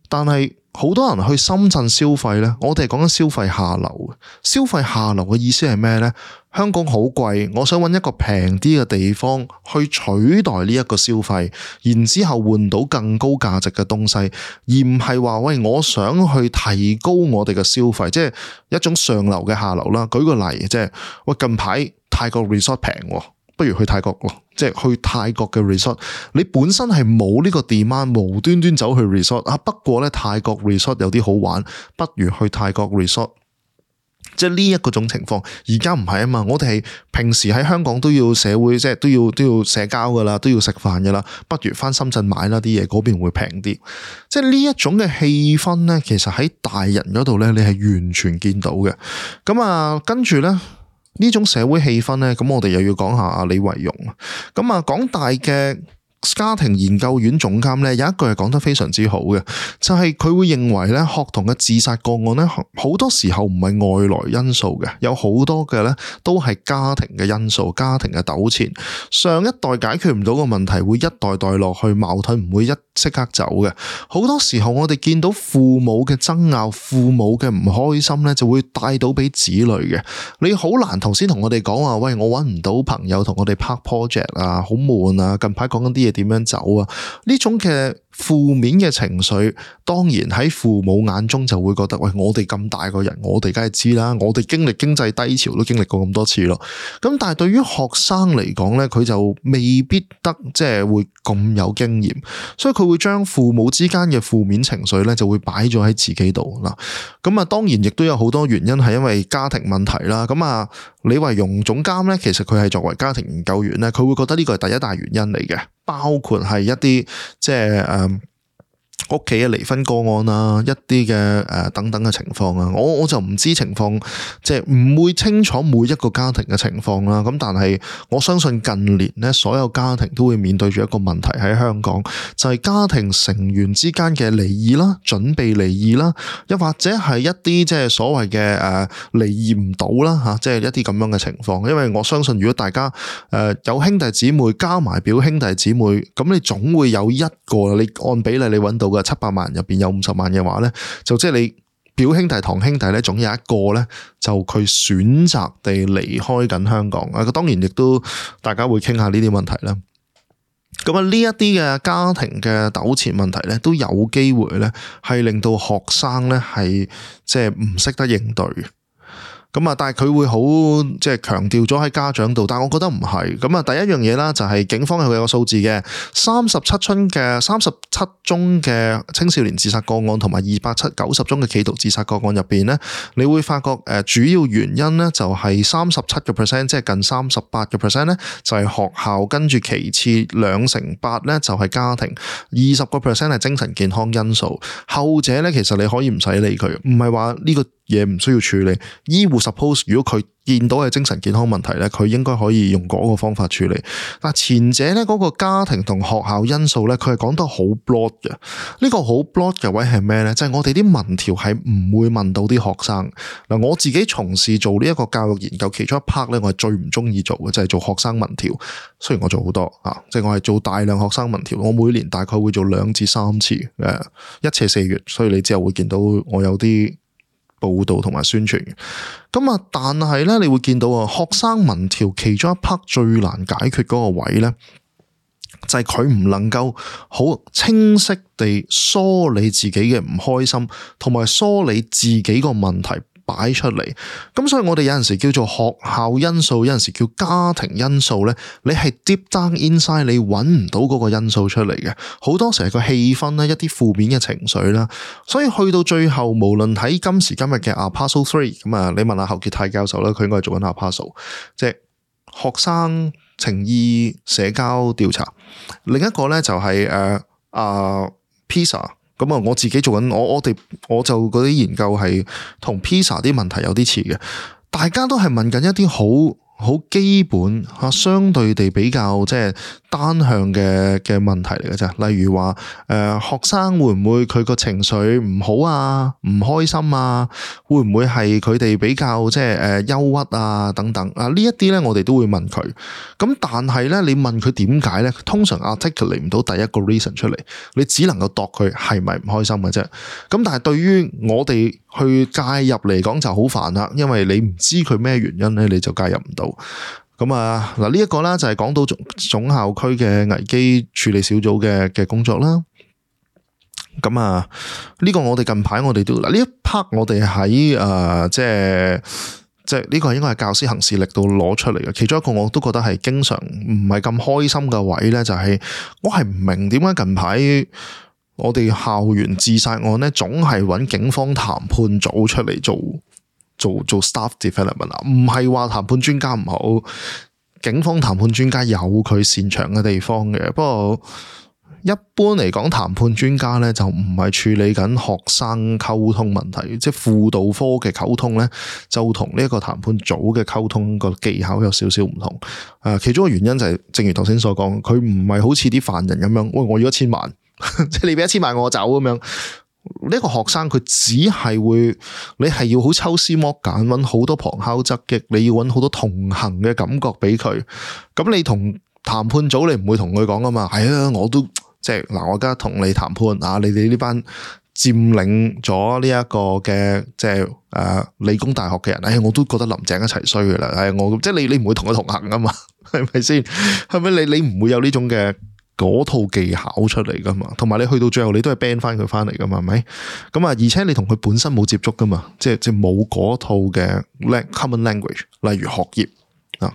但係好多人去深圳消費呢，我哋係講緊消費下流。消費下流嘅意思係咩呢？香港好貴，我想揾一個平啲嘅地方去取代呢一個消費，然之後換到更高價值嘅東西，而唔係話喂，我想去提高我哋嘅消費，即係一種上流嘅下流啦。舉個例，即係喂近排泰國 resort 平，不如去泰國咯，即係去泰國嘅 resort， 你本身係冇呢個 demand，無端端走去 resort 啊。不過咧泰國 resort 有啲好玩，不如去泰國 resort。即係呢一個種情況，而家唔係啊嘛，我哋係平時喺香港都要社會，即係都要社交噶啦，都要食飯噶啦，不如翻深圳買啦啲嘢，嗰邊會平啲。即係呢一種嘅氣氛咧，其實喺大人嗰度咧，你係完全見到嘅。咁啊，跟住咧呢種社會氣氛咧，咁我哋又要講下阿李維榕。咁啊，港大嘅家庭研究院總監咧有一句係講得非常之好嘅，就係佢會認為咧學童嘅自殺個案咧好多時候唔係外來因素嘅，有好多嘅咧都係家庭嘅因素，家庭嘅糾纏，上一代解決唔到個問題，會一代代落去，矛盾唔會即刻走嘅。好多時候我哋見到父母嘅爭拗，父母嘅唔開心咧，就會帶到俾子女嘅。你好難頭先同我哋講話，喂，我搵唔到朋友同我哋拍 project 啊，好悶啊，近排講緊啲嘢點樣走啊？呢種嘅負面嘅情緒，當然喺父母眼中就會覺得，喂，我哋咁大個人，我哋梗係知啦，我哋經歷經濟低潮都經歷過咁多次咯。咁但係對於學生嚟講咧，佢就未必得即係會咁有經驗，所以佢會將父母之間嘅負面情緒咧就會擺咗喺自己度啦。咁啊，當然亦都有好多原因係因為家庭問題啦。咁啊，李維榕總監咧，其實佢係作為家庭研究員咧，佢會覺得呢個係第一大原因嚟嘅，包括係一啲即係屋企嘅離婚個案啊，一啲嘅等等嘅情況啊，我就唔知情況，即係唔會清楚每一個家庭嘅情況啦。咁但係我相信近年咧，所有家庭都會面對住一個問題喺香港，就係家庭成員之間嘅離異啦，準備離異啦，又或者係一啲即係所謂嘅離異唔到啦吓，即係一啲咁樣嘅情況。因為我相信如果大家有兄弟姊妹加埋表兄弟姊妹，咁你總會有一個你按比例你揾到嘅700萬人入邊有50萬嘅話咧，就即係你表兄弟堂兄弟咧，總有一個咧就佢選擇地離開緊香港啊。當然亦都大家會傾下呢啲問題啦。咁啊，呢一啲嘅家庭嘅糾纏問題咧，都有機會咧係令到學生咧係即係唔識得應對嘅。咁啊，但係佢會好即係強調咗喺家長度，但係我覺得唔係。咁啊，第一樣嘢啦，就係警方係會有個數字嘅37宗嘅青少年自殺個案，同埋290宗嘅企圖自殺個案入邊咧，你會發覺主要原因咧就係37%，即係近38%咧就係學校，跟住其次2成8咧就係家庭，20% 係精神健康因素。後者咧其實你可以唔使理佢，唔係話呢個嘢唔需要處理。醫護 suppose 如果佢見到係精神健康問題咧，佢應該可以用嗰個方法處理。但前者咧嗰個家庭同學校因素咧，佢係講得好 broad 嘅。呢個好 broad 嘅位係咩咧？就係我哋啲民調係唔會問到啲學生。嗱，我自己從事做呢一個教育研究，其中一 part 咧，我係最唔中意做嘅就係做學生民調。雖然我做好多即係我係做大量學生民調，我每年大概會做2至3次，一次係4月，所以你之後會見到我有啲報道同埋宣傳嘅。咁但係咧，你會見到學生民調其中一 part 最難解決嗰個位咧，就係佢唔能夠好清晰地梳理自己嘅唔開心，同埋梳理自己個問題擺出嚟。咁所以我哋有陣時叫做學校因素，有陣時叫家庭因素咧，你係 deep down inside 你揾唔到嗰個因素出嚟嘅。好多時係個氣氛啦，一啲負面嘅情緒啦，所以去到最後，無論喺今時今日嘅 APASO 3，咁你問下侯傑泰教授啦，佢應該係做緊 APASO， 即係學生情意社交調查。另一個咧就係PISA。咁我自己做緊，我就嗰啲研究係同 PISA 啲問題有啲似嘅，大家都係問緊一啲好基本相對地比較即係單向嘅問題嚟嘅啫。例如話學生會唔會佢個情緒唔好啊，唔開心啊，會唔會係佢哋比較即係憂鬱啊等等呢一啲咧，我哋都會問佢。咁但係咧，你問佢點解咧，通常 articulate 唔到第一個 reason 出嚟，你只能夠度佢係咪唔開心嘅啫。咁但係對於我哋去介入嚟講就好煩啦，因為你唔知佢咩原因咧，你就介入唔到。咁嗱呢一個啦就係講到總校區嘅危機處理小組嘅工作啦。咁呢個我哋近排我哋都呢一 part 我哋喺即係呢個應該係教師行事歷度攞出嚟嘅。其中一個我都覺得係經常唔係咁開心嘅位咧，就係我係唔明點解近排我哋校園自殺案咧，總係揾警方談判組出嚟做 staff development 唔係話談判專家唔好，警方談判專家有佢擅長嘅地方嘅。不過一般嚟講，談判專家咧就唔係處理緊學生溝通問題，即係輔導科嘅溝通咧，就同呢一個談判組嘅溝通個技巧有少少唔同。其中嘅原因就係正如頭先所講，佢唔係好似啲犯人咁樣，喂，我要1000萬，即係你俾1000萬我走咁樣。呢個學生佢只係會，你係要好抽絲剝繭，揾好多旁敲側擊，你要揾好多同行嘅感覺俾佢。咁你同談判組你唔會同佢講噶嘛？係啊，我都即係嗱，我而家同你談判你哋呢班佔領咗呢一個嘅即係理工大學嘅人，我都覺得林鄭一齊衰噶啦。我即係你唔會同佢同行噶嘛？係咪先？係咪你唔會有呢種嘅嗰套技巧出嚟噶嘛？同埋你去到最後你都係 ban 翻佢翻嚟噶嘛？係咪？咁而且你同佢本身冇接觸噶嘛？即係冇嗰套嘅 common language， 例如學業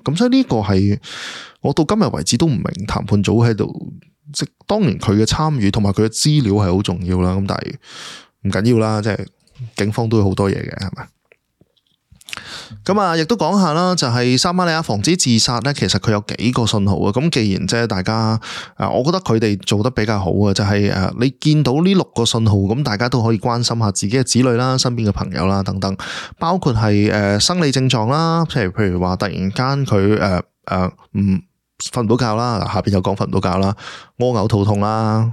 咁所以呢個係我到今日為止都唔明談判組喺度。即當然佢嘅參與同埋佢嘅資料係好重要啦，咁但係唔緊要啦，即係警方都有好多嘢嘅，係咪？咁亦都講下啦，就係撒瑪利亞防止自殺咧，其實佢有幾個信號啊。咁既然即係大家我覺得佢哋做得比較好啊，就係你見到呢6個信號，咁大家都可以關心下自己嘅子女啦、身邊嘅朋友啦等等，包括係生理症狀啦，譬如話突然間佢瞓唔到覺啦，下邊有講瞓唔到覺啦，屙嘔肚痛啦，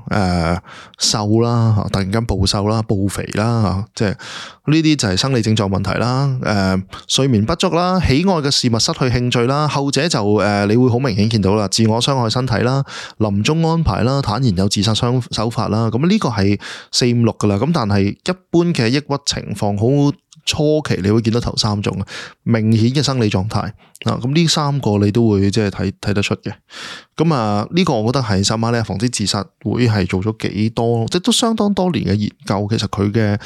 瘦啦，突然間暴瘦啦、暴肥啦，即係呢啲就係生理症狀問題啦。睡眠不足啦，喜愛嘅事物失去興趣啦，後者就你會好明顯見到啦，自我傷害身體啦，臨終安排啦，坦然有自殺手法啦。咁呢個係4、5、6噶啦。咁但係一般嘅抑鬱情況好初期你會見到頭3種明顯嘅生理狀態咁呢3個你都會即係睇得出嘅。咁呢個我覺得係撒瑪利亞防止自殺會係做咗幾多，即係都相當多年嘅研究。其實佢嘅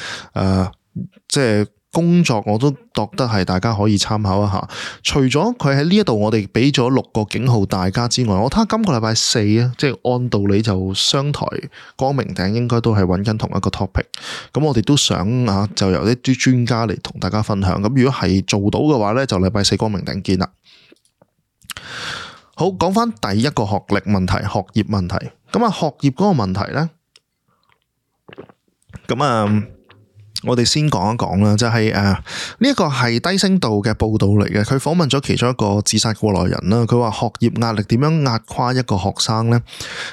即係工作我都覺得係大家可以參考一下。除咗佢喺呢一度我哋俾咗6個警號大家之外，我睇下今個禮拜4即係按道理就商台光明頂應該都係揾緊同一個 topic。咁我哋都想就由一啲專家嚟同大家分享。咁如果係做到嘅話呢，就禮拜4光明頂見啦。好，講翻第一個學歷問題、學業問題。咁學業嗰個問題呢，咁我哋先講一講啦，就係呢一個係低聲道嘅報道嚟嘅，佢訪問咗其中一個自殺過來人啦。佢話學業壓力點樣壓垮一個學生呢？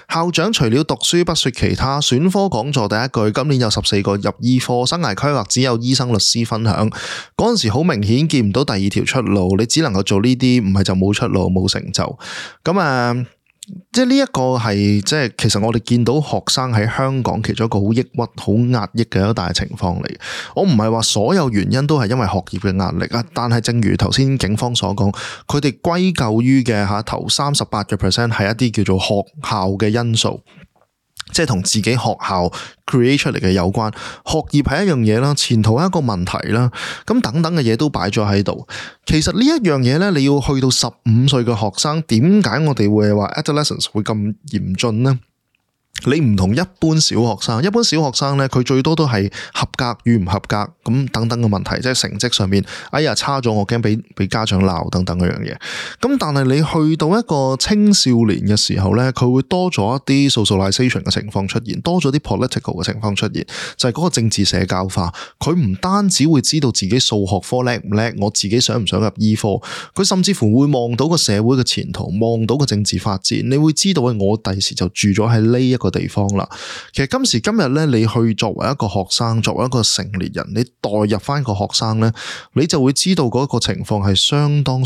校長除了讀書不說其他，選科講座第一句，今年有14個入醫科，生涯規劃只有醫生律師分享。嗰陣時好明顯見唔到第二條出路，你只能夠做呢啲，唔係就冇出路冇成就。咁即係呢一個係即係其實我哋見到學生喺香港其中一個好抑鬱、好壓抑嘅一個大情況嚟。我唔係話所有原因都係因為學業嘅壓力啊，但係正如頭先警方所講，佢哋歸咎於嘅頭38% 係一啲叫做學校嘅因素。即係同自己學校 create 出嚟嘅有關，學業係一樣嘢啦，前途係一個問題啦，咁等等嘅嘢都擺咗喺度。其實呢一樣嘢咧，你要去到15歲嘅學生，點解我哋會話 adolescence 會咁嚴峻呢？你唔同一般小學生，一般小學生咧，佢最多都係合格與唔合格咁等等嘅問題，即係成績上面，哎呀差咗，我驚俾家長鬧等等嗰樣嘢。咁但係你去到一個青少年嘅時候咧，佢會多咗一啲 socialization 嘅情況出現，多咗啲 political 嘅情況出現，就係嗰個政治社交化。佢唔單止會知道自己數學科叻唔叻，我自己想唔想入醫科，佢甚至乎會望到個社會嘅前途，望到個政治發展。你會知道我第時就住咗喺呢一個地方啦。其實今時今日咧，你去作為一個學生，作為一個成年人，你代入翻個學生咧，你就會知道嗰個情況係相當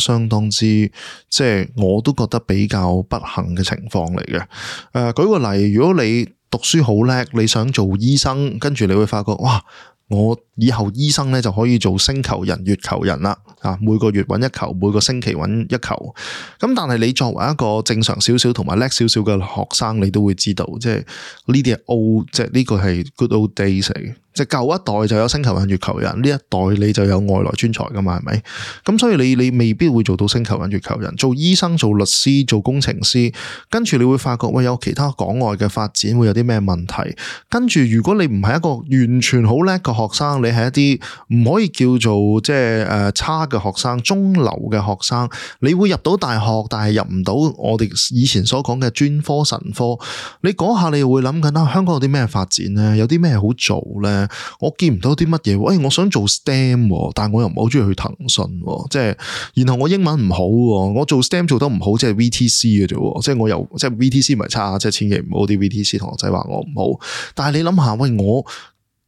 之，即係我都覺得比較不幸嘅情況嚟嘅。舉個例，如果你讀書好叻，你想做醫生，跟住你會發覺，哇！我以後醫生咧就可以做星球人、月球人啦，每個月揾一球，每個星期揾一球。咁但係你作為一個正常少少同埋叻少少嘅學生，你都會知道，即係呢啲係 old，即係呢個係 good old days 嚟。即係舊一代就有星球人、月球人，呢一代你就有外來專才噶嘛，係咪？咁所以你未必會做到星球人、月球人。做醫生、做律師、做工程師，跟住你會發覺，喂，有其他港外嘅發展會有啲咩問題？跟住如果你唔係一個完全好叻嘅學生，你係一啲唔可以叫做即係差嘅學生、中流嘅學生，你會入到大學，但係入唔到我哋以前所講嘅專科神科。你嗰下你又會諗緊香港有啲咩發展呢？有啲咩好做呢？我見唔到啲乜嘢，喂！我想做 STEM， 但係我又唔係好中意去騰訊，即係，然後我英文唔好，我做 STEM 做得唔好，即係 VTC 嘅啫，即係我又即係 VTC 唔係差，即係千祈唔好啲 VTC 同學仔話我唔好。但係你諗下，喂，我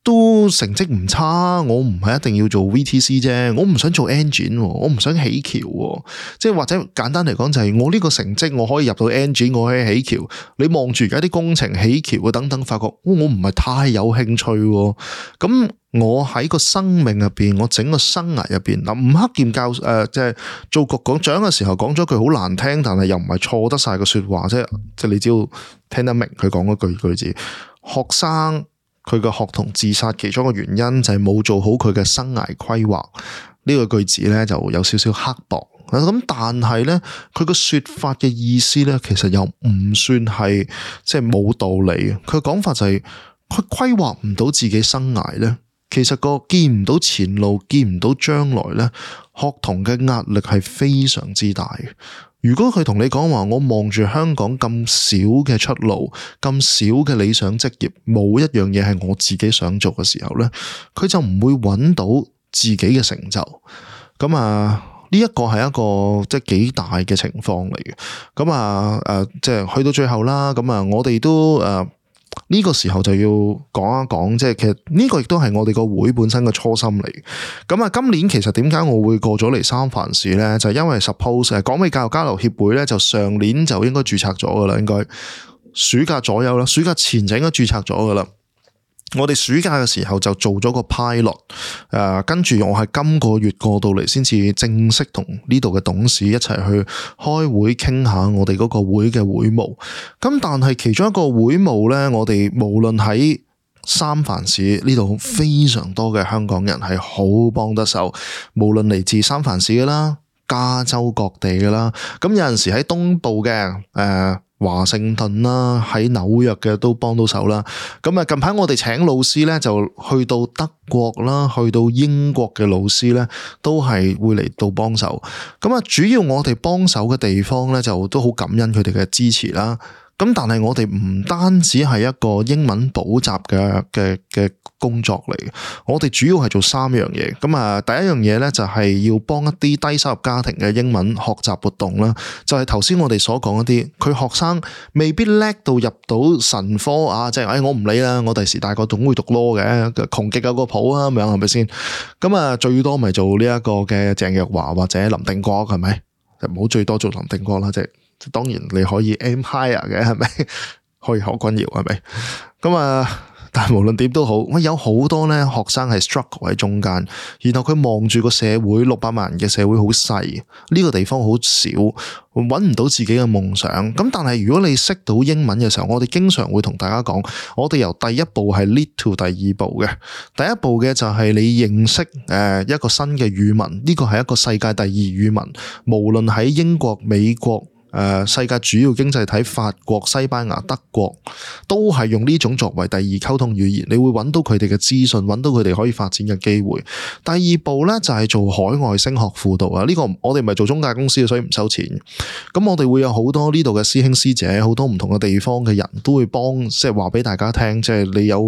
都成績唔差，我唔係一定要做 VTC 啫，我唔想做 engine， 我唔想起橋，即係或者簡單嚟講就係我呢個成績我可以入到 engine， 我可以起橋。你望住而家啲工程起橋嘅等等，發覺我唔係太有興趣。咁我喺個生命入邊，我整個生涯入邊，吳克儉教即係做局長嘅時候講咗句好難聽，但係又唔係錯得晒嘅說話，即係你只要聽得明佢講嗰句字，學生。佢嘅學童自殺其中一個原因就係冇做好佢嘅生涯規劃，呢個句子咧就有少少刻薄。咁但係咧，佢個說法嘅意思咧，其實又唔算係即係冇道理。佢講法就係佢規劃唔到自己生涯咧，其實個見唔到前路，見唔到將來咧，學童嘅壓力係非常之大嘅。如果佢同你講話，我望住香港咁少嘅出路，咁少嘅理想職業，冇一樣嘢係我自己想做嘅時候咧，佢就唔會揾到自己嘅成就。咁呢一個係一個即係幾大嘅情況嚟嘅。咁即係去到最後啦。咁我哋都呢個時候就要講一講，即係其實呢個亦都係我哋個會本身嘅初心嚟。咁今年其實點解我會過咗嚟三藩市呢？就係因為 suppose 港美教育交流協會呢，就上年就應該註冊咗噶啦，應該暑假左右啦，暑假前就應該註冊咗噶啦。我哋暑假嘅時候就做咗個 pilot，跟住我係今個月過到嚟先至正式同呢度嘅董事一齊去開會傾下我哋嗰個會嘅會務。咁但係其中一個會務呢，我哋無論喺三藩市呢度非常多嘅香港人係好幫得手，無論嚟自三藩市嘅啦、加州各地嘅啦，咁有陣時喺東部嘅華盛頓啦，喺紐約嘅都幫到手啦。咁近排我哋請老師咧，就去到德國啦，去到英國嘅老師咧，都係會嚟到幫手。咁主要我哋幫手嘅地方咧，就都好感恩佢哋嘅支持啦。咁但係我哋唔單止係一個英文補習嘅工作嚟嘅，我哋主要係做3樣嘢。咁啊，第一樣嘢咧就係要幫一啲低收入家庭嘅英文學習活動啦。就係頭先我哋所講一啲，佢學生未必叻到入到神科啊，即係我唔理啦，我第時大個總會讀 law 嘅，窮極有個譜啊，咁樣係咪先？咁啊，最多咪做呢一個嘅鄭若驊或者林定國係咪？就唔好最多做林定國啦，即係當然你可以 aim higher 嘅係咪？可以何君堯係咪？咁啊。但係無論點都好，我有好多咧學生係 struggle 喺中間，然後佢望住個社會600萬人嘅社會好細，呢個地方好少，揾唔到自己嘅夢想。咁但係如果你識到英文嘅時候，我哋經常會同大家講，我哋由第一步係 lead to 第2步嘅。第一步嘅就係你認識一個新嘅語文，呢個係一個世界第2語文，無論喺英國、美國。世界主要經濟體法國、西班牙、德國都係用呢種作為第2溝通語言，你會揾到佢哋嘅資訊，揾到佢哋可以發展嘅機會。第2步呢，就係做海外升學輔導啊！呢個我哋唔係做中介公司，所以唔收錢。咁我哋會有好多呢度嘅師兄師姐，好多唔同嘅地方嘅人都會幫，即係話俾大家聽，即係你有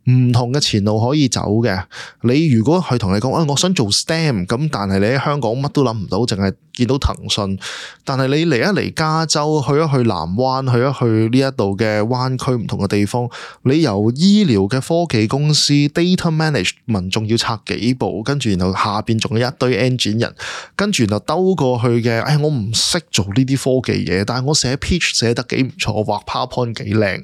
唔同嘅前路可以走嘅。你如果係同你講，我想做 STEM， 咁但係你喺香港乜都諗唔到，淨係見到騰訊。但係你嚟一嚟加州，去一去南灣，去一去呢一度嘅灣區唔同嘅地方，你由醫療嘅科技公司 data management 仲要拆幾步，跟住然後下邊仲有一堆 engine 人，跟住然後兜過去嘅，我唔識做呢啲科技嘢，但係我寫 pitch 寫得幾唔錯，畫 PowerPoint 幾靚。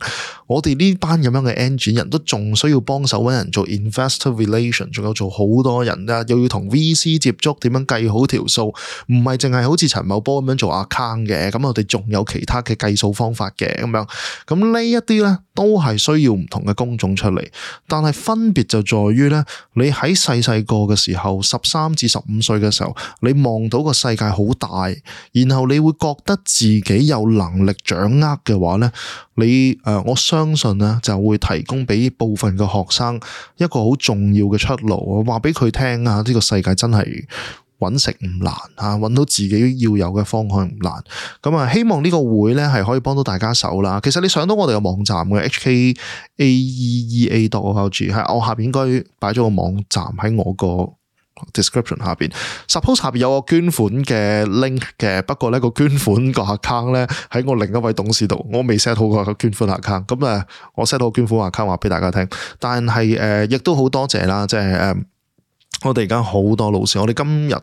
我哋呢班咁樣嘅 engine 人都仲需要幫手揾人做 investor relation， 仲有做好多人啦，又要同 VC 接觸，點樣計好條數，唔係淨係好似陳茂波咁樣做 account 嘅，咁我哋仲有其他嘅計數方法嘅咁樣。咁呢一啲呢，都係需要唔同嘅工種出嚟，但係分別就在於呢，你喺細細個嘅時候，13至15歲嘅時候，你望到個世界好大，然後你會覺得自己有能力掌握嘅話呢，我相信呢就會提供俾部分嘅學生一個好重要嘅出路，話俾佢聽啊，呢個世界真係揾食唔難啊，揾到自己要有嘅方向唔難。咁啊，希望呢個會呢係可以幫到大家手啦。其實你上到我哋嘅網站嘅 hkaeea.org， 係我下邊應該擺咗個網站喺我個description 下邊 suppose 下邊有個捐款嘅 link 嘅，不過呢個捐款個 account 呢喺我另一位董事度，我未 set 好個捐款 account， 咁我 set 好捐款 account 話俾大家聽，但係亦都好多謝啦，即係我哋而家好多老師，我哋今日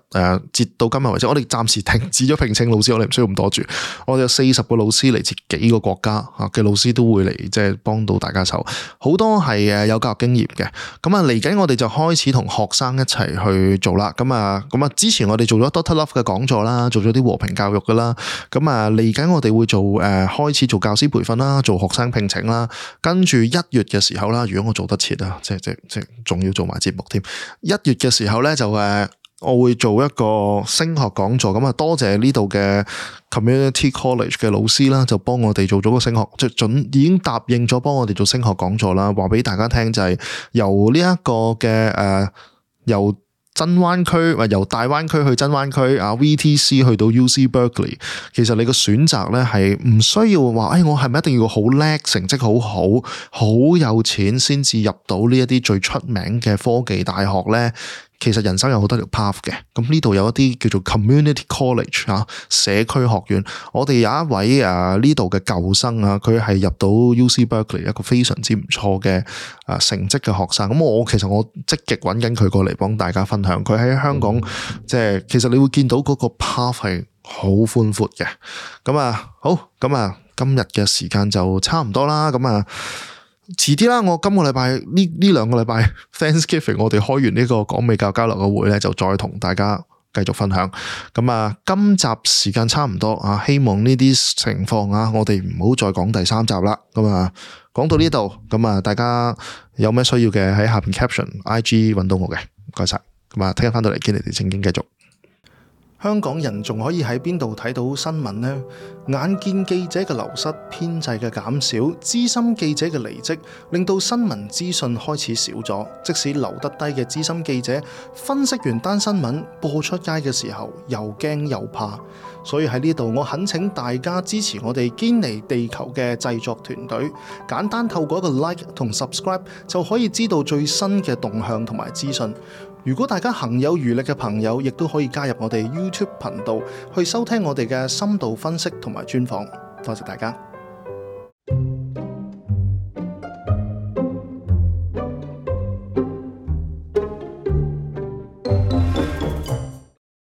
截到今日為止，我哋暫時停止咗聘請老師，我哋唔需要咁多住。我哋有40個老師嚟自幾個國家嘅老師都會嚟，即係幫到大家手。好多係有教育經驗嘅。咁啊，嚟緊我哋就開始同學生一齊去做啦。咁啊，之前我哋做咗 Dr. Love 嘅講座啦，做咗啲和平教育噶啦。咁啊，嚟緊我哋會做開始做教師培訓啦，做學生聘請啦。跟住1月嘅時候啦，如果我做得切啊，即仲要做埋節目添。1月嘅時候咧就我會做一個升學講座，咁啊多謝呢度嘅 Community College 嘅老師啦，就幫我哋做咗個升學，即係已經答應咗幫我哋做升學講座啦。話俾大家聽就係由呢一個嘅由真灣區或由大灣區去真灣區啊 VTC 去到 UC Berkeley， 其實你個選擇咧係唔需要話，我係咪一定要好叻，成績好好，好有錢先至入到呢一啲最出名嘅科技大學咧？其實人生有好多條 path 嘅，咁呢度有一啲叫做 Community College 社區學院。我哋有一位呢度嘅舊生啊，佢係入到 UC Berkeley 一個非常之唔錯嘅成績嘅學生。咁其實我積極揾緊佢過嚟幫大家分享。佢喺香港即係其實你會見到嗰個 path 係好寬闊嘅。咁好，咁今日嘅時間就差唔多啦。遲啲啦，我今個禮拜呢2個禮拜 Thanksgiving 我哋開完呢個港美教交流嘅會咧，就再同大家繼續分享。今集時間差唔多啊，希望呢啲情況啊，我哋唔好再講第3集啦。講到呢度，大家有咩需要嘅喺下邊 caption IG 揾到我嘅，唔該晒。聽日翻到嚟見你哋正經繼續。香港人仲可以喺邊度睇到新聞呢？眼見記者嘅流失、編制嘅減少、資深記者嘅離職，令到新聞資訊開始少咗。即使留得低嘅資深記者，分析完單新聞播出街嘅時候，又驚又怕。所以喺呢度，我懇請大家支持我哋堅尼地球嘅製作團隊，簡單透過一個 like 同 subscribe 就可以知道最新嘅動向同埋資訊。如果大家行有餘力嘅朋友，亦都可以加入我哋 YouTube 頻道去收聽我哋嘅深度分析同埋專訪。多謝大家。